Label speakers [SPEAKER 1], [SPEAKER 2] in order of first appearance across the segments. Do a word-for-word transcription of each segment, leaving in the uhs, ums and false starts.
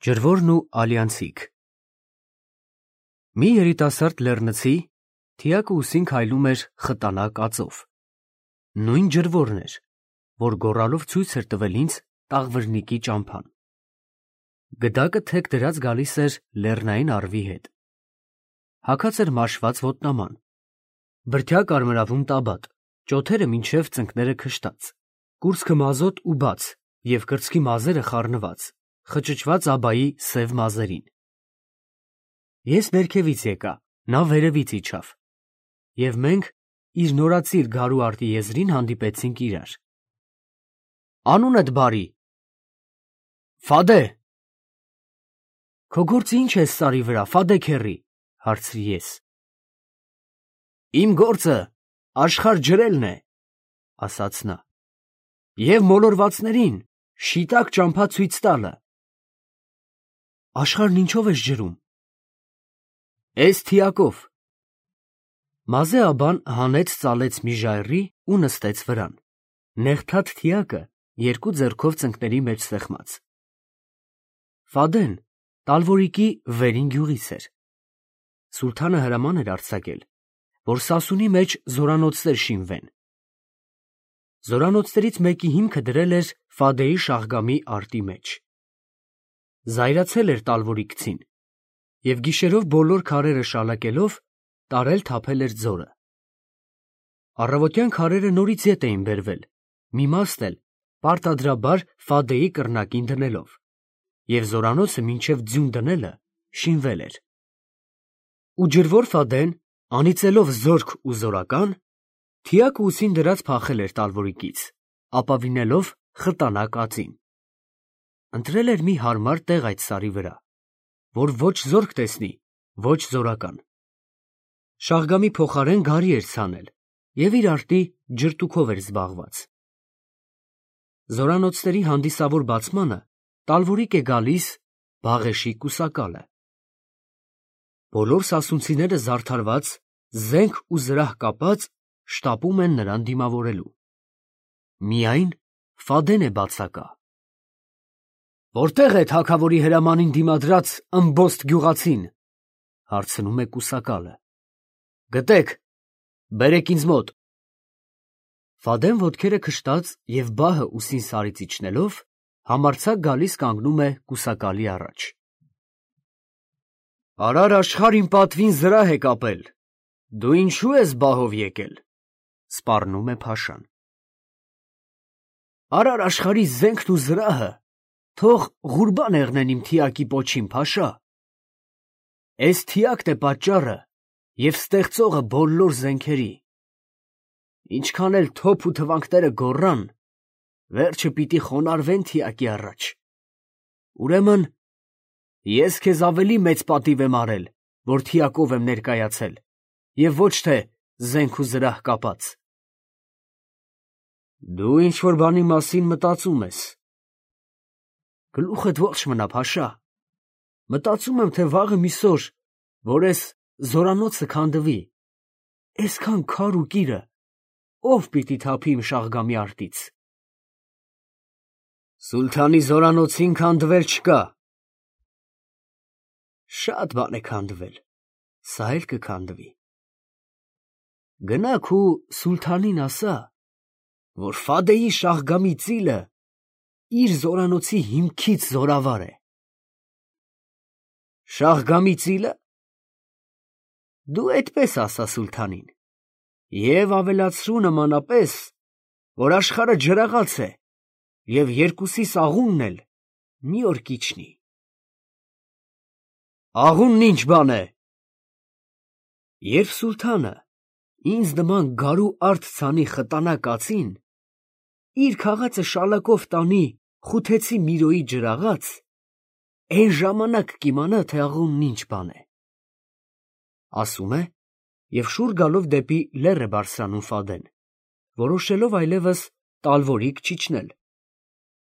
[SPEAKER 1] Ջրվորն ու Ալյանցիկ Մի երիտասարդ լեռնցի թիակը ուսին քայլում էր խտանա կածով։ Նույն ջրվորն էր, որ գոռալով ցույց էր տվել ինձ տաղվրնիկի ճամփան։ Գդակը թեք դրած գալիս էր լեռնային առվի հետ։ Հագած էր մաշված ոտնաման, բրդյա կարմրավուն տաբատ, ճոթերը մինչև ծնկները քշտած, կուրծքը մազոտ ու բաց և կրծքի մազերը խառնված, խճճված աբայի սև մազերին։ Ես ներքևից եկա, նա վերևից իջավ, և մենք իր նորածիր գարու արտի եզրին հանդիպեցինք իրար։ Անունդ բարի։ Ֆադե։ Քո գործը ինչ է սարի վրա, Ֆադե քեռի, հարցրի ես։ Իմ գործը աշխարհ ջրելն է, ասաց նա, և մոլորվածներին շիտակ ճամփա ցույց տալը։ Աշխարհն ինչով ես ջրում։ Էս թիակով։ Մազե աբան հանեց ծալեց մի ժայռի ու նստեց վրան, նեղթաթ թիակը երկու ձեռքով ծնկների մեջ սեղմած։ Ֆադեն Տալվորիկի վերին գյուղից էր։ Սուլթանը հրաման էր արձակել, որ Սասունի մեջ զորանոցներ շինվեն։ Զորանոցներից մեկի հիմքը դրել էր Ֆադեի Շահգամի արտի մեջ։ Զայրացել էր Տալվորիկցին և գիշերով բոլոր քարերը շալակելով տարել թափել էր ձորը։ Առավոտյան քարերը նորից ետ էին բերվել, մի մասն էլ պարտադրաբար Ֆադեի կռնակին դնելով, և զորանոցը մինչև ձյուն դնելը շինվել էր։ Ու ջրվոր Ֆադեն, անիծելով զորք ու զորական, թիակը ուսին դրած փախել էր Տալվորիկից, ապավինելով խտանա կածին։ Ընտրել էր մի հարմար տեղ այդ սարի վրա, որ ոչ զորք տեսնի, ոչ զորական։ Շահգամի փոխարեն գարի էր ցանել և իր արտի ջրտուքով էր զբաղված։ Զորանոցների հանդիսավոր բացմանը Տալվորիկ է գալիս Բաղեշի կուսակալը։ Բոլոր սասունցիները զարդարված, զենք ու զրահ կապած, շտապում են նրան դիմավորելու։ Միայն Ֆադեն է բացակա։ Որտե՞ղ է թագավորի հրամանին դիմադրած ըմբոստ գյուղացին, հարցնում է կուսակալը։ Գտեք, բերեք ինձ մոտ։ Ֆադեն ոտքերը քշտած և բահը ուսին սարից իջնելով, համարձակ գալիս կանգնում է կուսակալի առաջ։ Արար աշխարհ իմ պատվին զրահ է կապել, դու ինչու ես բահով եկել, սպառնում է փաշան։ Արար աշխարհի զենքն ու զրահը թող ղուրբան եղնեն իմ թիակի պոչին, փաշա։ Էս թիակն է պատճառը և ստեղծողը բոլոր զենքերի։ Ինչքան էլ թոփ ու թվանքները գոռան, վերջը պիտի խոնարհվեն թիակի առաջ։ Ուրեմն ես քեզ ավելի մեծ պատիվ եմ արել, որ թիակով եմ ներկայացել, և ոչ թե զենք ու զրահ կապած։ Դու ինչ-որ բանի մասին մտածում ես։ Գլուխդ ողջ մնա, փաշա։ Մտածում եմ, թե վաղը միսօր, որ էս զորանոցը քանդվի, էսքան քար ու կիրը ով պիտի թափի իմ Շահգամի արտից։ Սուլթանի զորանոցին քանդվել չկա։ Շատ բան է քանդվել, սա էլ կքանդվի։ Գնա քու սուլթանին ասա, որ Ֆադեի Շահգամի ծիլը իր զորանոցի հիմքից զորավար է։ Շահգամի ծիլը։ Դու այդպես ասա սուլթանին և ավելացրու նմանապես, որ աշխարհը ջրաղաց է և երկուսիս աղունն էլ մի օր կիջնի։ Աղունն ինչ բան է։ Երբ սուլթանը ինձ նման գարու արդ ցանի խտանա կացին իր քաղածը շալակով տանի Խութեցի Միրոյի ջրաղաց, այն ժամանակ կիմանա, թե աղունն ինչ բան է։ Ասում է և շուռ գալով դեպի լեռ է բարձրանում Ֆադեն, որոշելով այլևս Տալվորիկ չիջնել,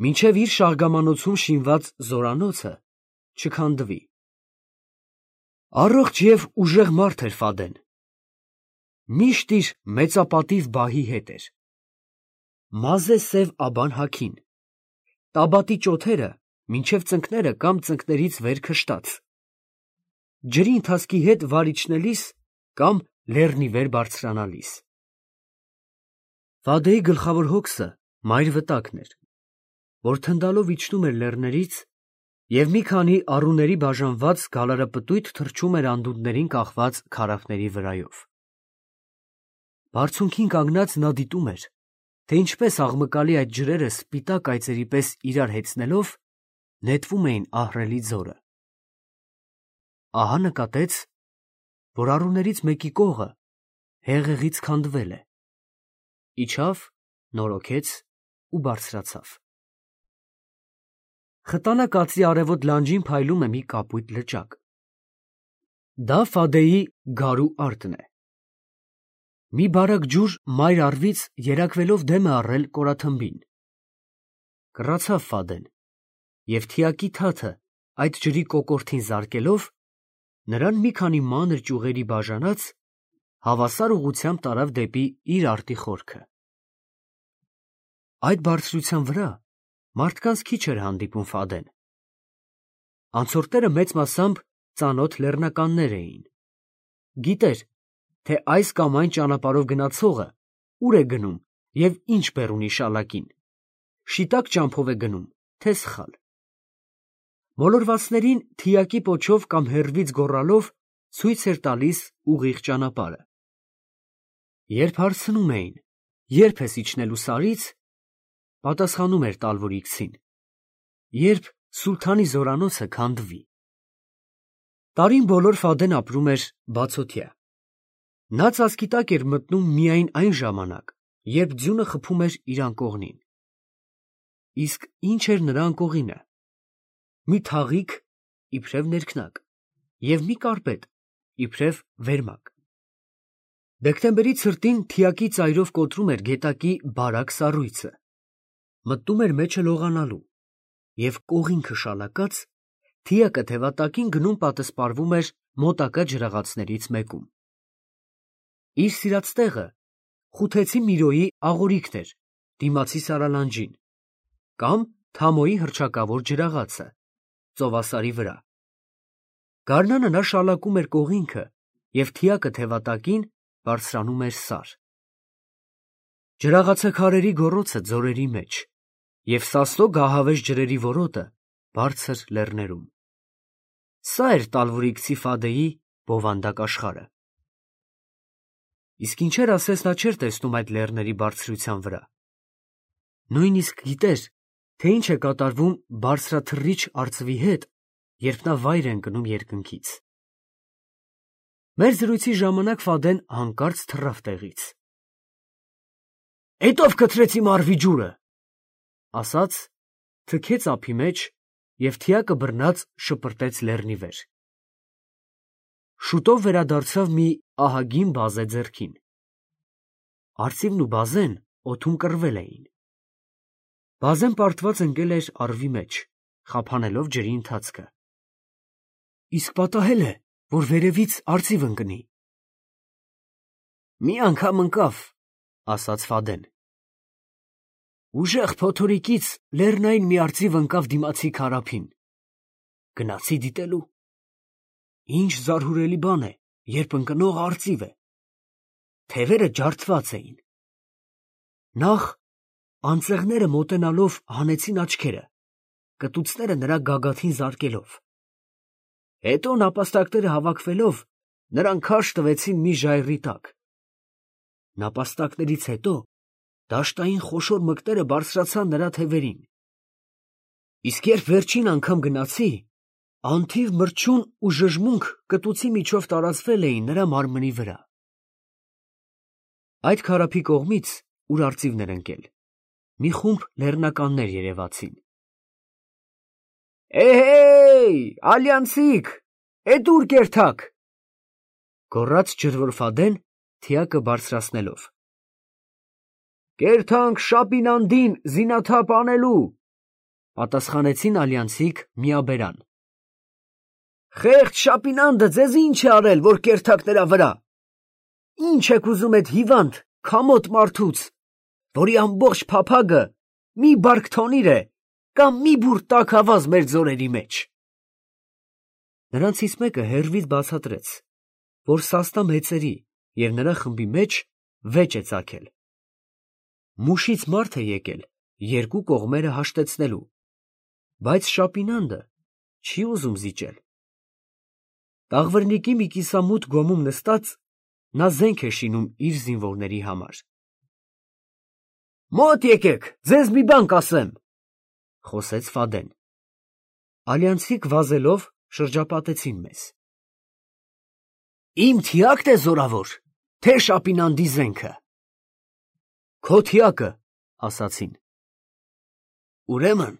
[SPEAKER 1] մինչև իր շահգամանոցում շինված զորանոցը չքանդվի։ Առողջ և ուժեղ մարդ էր Ֆադեն։ Միշտ իր մեծապատիվ բահի հետ էր։ Մազե սև աբան հագին, տաբատի ճոթերը մինչև ծնկները կամ ծնկներից վեր քշտած, ջրի ընթացքի հետ վար իջնելիս կամ լեռնի վեր բարձրանալիս։ Ֆադեի գլխավոր հոգսը մայր վտակն էր, որ թնդալով իջնում էր լեռներից և մի քանի առուների բաժանված գալարապտույտ թռչում էր անդունդներին կախված քարափների վրայով։ Բարձունքին կանգնած նա դիտում էր, թե ինչպես աղմկալի այդ ջրերը սպիտակ այծերի պես իրար հեծնելով նետվում էին ահռելի ձորը։ Ահա նկատեց, որ առուներից մեկի կողը հեղեղից քանդվել է, իջավ, նորոգեց ու բարձրացավ։ Խտանա կացի արևոտ լանջին փայլում է մի կապույտ լճակ։ Դա Ֆադեի գարու արտն է։ Մի բարակ ջուր մայր առվից երակվելով դեմ է առել կորաթմբին։ Կռացավ Ֆադեն և թիակի թաթը այդ ջրի կոկորդին զարկելով, նրան մի քանի մանր ճյուղերի բաժանած, հավասար ուղղությամբ տարավ դեպի իր արտի խորքը։ Այդ բարձրության վրա մարդկանց քիչ էր հանդիպում Ֆադեն։ Անցորդները մեծ մասամբ ծանոթ լեռնականներ էին։ Գիտեր, թե այս կամ այն ճանապարհով գնացողը ուր է գնում և ինչ բեռ ունի շալակին, շիտակ ճամփով է գնում, թե սխալ։ Մոլորվածներին թիակի պոչով կամ հեռվից գոռալով ցույց էր տալիս ուղիղ ճանապարհը։ Երբ հարցնում էին. «Ե՞րբ ես իջնելու սարից», պատասխանում էր տալվորիքցին. «Երբ սուլթանի զորանոցը քանդվի»։ Տարին բոլոր Ֆադեն ապրում էր բացօթյա։ Նա ծածկի տակ էր մտնում միայն այն ժամանակ, երբ ձյունը խփում էր իր անկողնին։ Իսկ ի՞նչ էր նրա անկողինը։ Մի թաղիկ, իբրև ներքնակ, և մի կարպետ, իբրև վերմակ։ Դեկտեմբերի ցրտին թիակի ծայրով կոտրում էր գետակի բարակ սառույցը, մտնում էր մեջը լողանալու, և կողինքը շալակած, թիակը թևատակին գնում պատսպարվում էր մոտակա ջրաղացներից մեկում։ Իր սիրած տեղը Խութեցի Միրոյի աղորիքն էր դիմացի սարալանջին, կամ Թամոյի հռչակավոր ջրաղացը, ծովասարի վրա։ Գարնանը նա շալակում էր կողինքը և թիակը թևատակին բարձրանում էր սար։ Ջրաղացաքարերի գոռոցը ձորերի մեջ և Սասո գահավեժ ջրերի որոտը բարձր լեռներում։ Սա էր տալվորիքցի Ֆադեի բովանդակ աշխարհը։ Իսկ ինչեր ասես նա չէր տեսնում այդ լեռների բարձրության վրա։ Նույնիսկ գիտեր, թե ինչ է կատարվում բարձրաթռիչ արծվի հետ, երբ նա վայր է ընկնում երկնքից։ Մեր զրույցի ժամանակ Ֆադեն հանկարծ թռավ տեղից։ «Էտո՞վ գցրեցի մարվի ջուրը», ասաց, թքեց ափի մեջ և թիակը բռնած շպրտեց լեռնի վեր։ Շուտով վերադարձավ մի ահագին բազե ձեռքին։ Արծիվն ու բազեն օդում կռվել էին։ Բազեն պարտված ընկել էր առվի մեջ, խափանելով ջրի ընթացքը։ Իսկ պատահել է, որ վերևից արծիվ ընկնի։ «Մի անգամ ընկավ», ասաց Ֆադեն։ Ուժեղ փոթորիկից լեռնային մի արծիվ ընկավ դիմացի քարափին։ Գնացի դիտելու։ Ինչ զարհուրելի բան է, երբ ընկնողը արծիվ է։ Թևերը ջարդված էին։ Նախ անձեղները մոտենալով հանեցին աչքերը, կտուցները նրա գագաթին զարկելով։ Հետո նապաստակները հավաքվելով նրան քարշ տվեցին մի ժայռի տակ։ Նապաստակներից հետո դաշտային խոշոր մկները բարձրացան նրա թևերին։ Իսկ երբ վերջին անգամ գնացի, անթիվ մրջյուն ու ժժմունք կտուցի միջով տարածվել էին նրա մարմնի վրա։ Այդ քարափի կողմից, ուր արծիվն էր ընկել, մի խումբ լեռնականներ երևացին։ «Էհեյ, ալյանցիկ, էդ ուր կերթաք», գոռաց ջրվոր Ֆադեն, թիակը բարձրացնելով։ «Կերթանք Շապինանդին զինաթափ անելու», պատասխանեցին ալյանցիկ միաբերան։ «Խեղճ Շապինանդը ձեզ ինչ է արել, որ կերթաք նրա վրա։ Ինչ եք ուզում էդ հիվանդ, քամոտ մարդուց, որի ամբողջ փափագը մի բարք թոնիր է, կամ մի բուր տաք ավազ մեր ձորերի մեջ։ Նրանցից մեկը հեռվից բացատրեց, որ սաստա մեծերի և նրա խմբի մեջ վեճ է ծագել։ Մուշից մարդ է եկել երկու կողմերը հաշտեցնելու, բայց Շապինանդը չի ուզում զիջել։ Տաղվրնիկի մի կիսամութ գոմում նստած, նա զենք է շինում իր զինվորների համար։ «Մոտ եկեք, ձեզ մի բան կասեմ», ֊ խոսեց Ֆադեն։ Ալյանցիկ վազելով շրջապատեցին մեզ։ «Իմ թիակն է զորավոր, թե Շապինանդի զենքը»։ «Քո թիակը», ասացին։ «Ուրեմն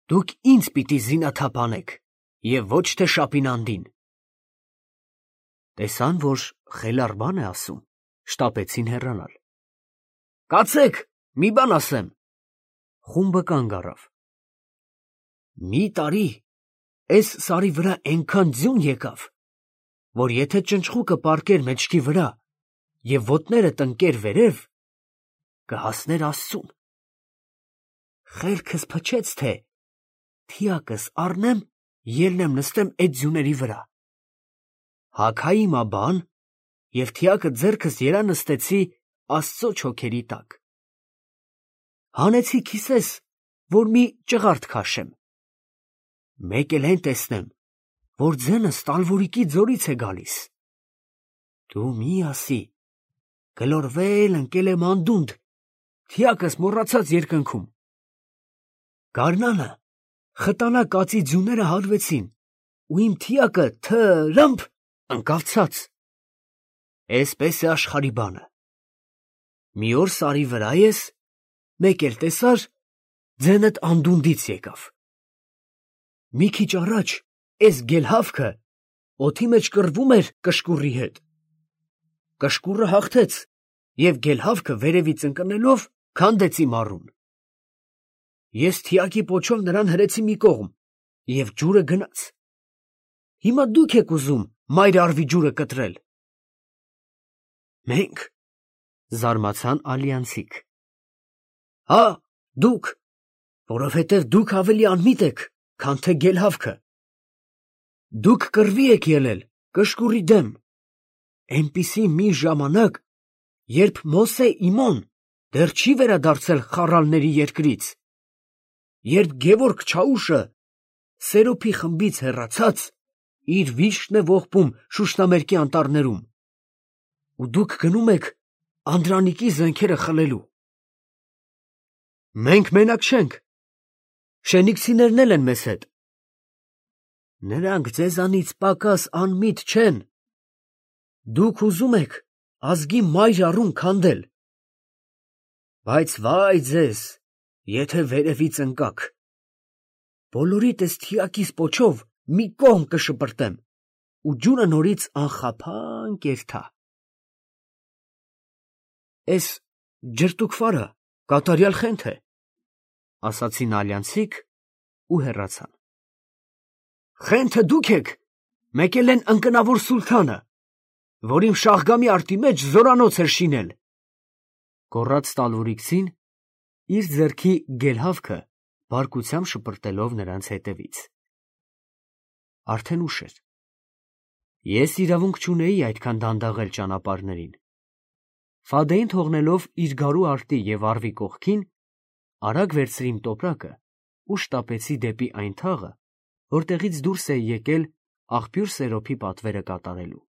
[SPEAKER 1] դուք ինձ պիտի զինաթափ անեք և ոչ թե Շապինանդին»։ Տեսան, որ խելառ բան է ասում, շտապեցին հեռանալ։ «Կացեք, մի բան ասեմ»։ Խումբը կանգ առավ։ «Մի տարի էս սարի վրա էնքան ձյուն եկավ, որ եթե ճնճղուկը պառկեր մեջքի վրա և ոտները տնկեր վերև, կհասներ Աստծուն։ Խելքս փչեց, թե թիակս առնեմ, ելնեմ նստեմ էդ ձյուների վրա։ Հագայի մա բան և թիակը ձեռքս երա նստեցի Աստծո չոքերի տակ։ Հանեցի քիսես, որ մի ճղարդ քաշեմ։ Մեկ էլ են տեսնեմ, որ ձենս Տալվորիկի ձորից է գալիս։ Դու մի ասի, գլորվել ընկել եմ անդունդ, թիակս մոռացած երկնքում։ Գարնանը խտանա կածի ձյուները հալվեցին, ու իմ թիակը թ-ռ-ըմփ ընկավ ցած։ Էսպես է աշխարհի բանը։ Մի օր սարի վրա ես, մեկ էլ տեսար, ձենդ անդունդից եկավ։ Մի քիչ առաջ էս գելհավքը օդի մեջ կռվում էր կշկուռի հետ։ Կշկուռը հաղթեց և գելհավքը վերևից ընկնելով քանդեցի մառուն։ Ես թիակի պոչով նրան հրեցի մի կողմ, և ջուրը գնաց։ Հիմա դուք եք ուզում մայր առվի ջուրը կտրել։ Մենք, զարմացան ալյանցիկ։ Հա, դուք, որովհետև դուք ավելի անմիտ եք, քան թե գելհավքը։ Դուք կռվի եք ելել կշկուռի դեմ, էնպիսի մի ժամանակ, երբ Մոսե իմոն դեռ չի վերադարձել խառալների երկրից, երբ Գևորգ Չաուշը Սերոփի խմբից հեռացած իր վիշտն է ողբում Շուշնամերկի անտառներում, ու դուք գնում եք Անդրանիկի զենքերը խլելու։ Մենք մենակ չենք, շենիքսիներն էլ են մեզ հետ։ Նրանք ձեզանից պակաս անմիտ չեն։ Դուք ուզում եք ազգի մայր առուն քանդել։ Բայց վայ ձեզ, եթե վերևից ընկաք։ Բոլորիդ էս թիակիս պոչով մի կողմ կշպրտեմ, ու ջուրը նորից անխափան կերթա։ Էս ջրտուկվարը կատարյալ խենթ է, ասացին ալյանցիկ ու հեռացան։ Խենթը դուք եք, մեկ էլ են ընկնավոր սուլթանը, որ իմ Շահգամի արտի մեջ զորանոց էր շինել, գոռաց Տալվորիկցին, իր ձեռքի գելհավքը բարկությամբ շպրտելով նրանց հետևից։ Արդեն ուշ էր։ Ես իրավունք չունեի այդքան դանդաղել ճանապարհներին։ Ֆադեին թողնելով իր գարու արտի և առվի կողքին, արագ վերցրի իմ տոպրակը ու շտապեցի դեպի այն թաղը, որտեղից դուրս էի եկել աղբյուր Սերոփի պատվերը կատարելու։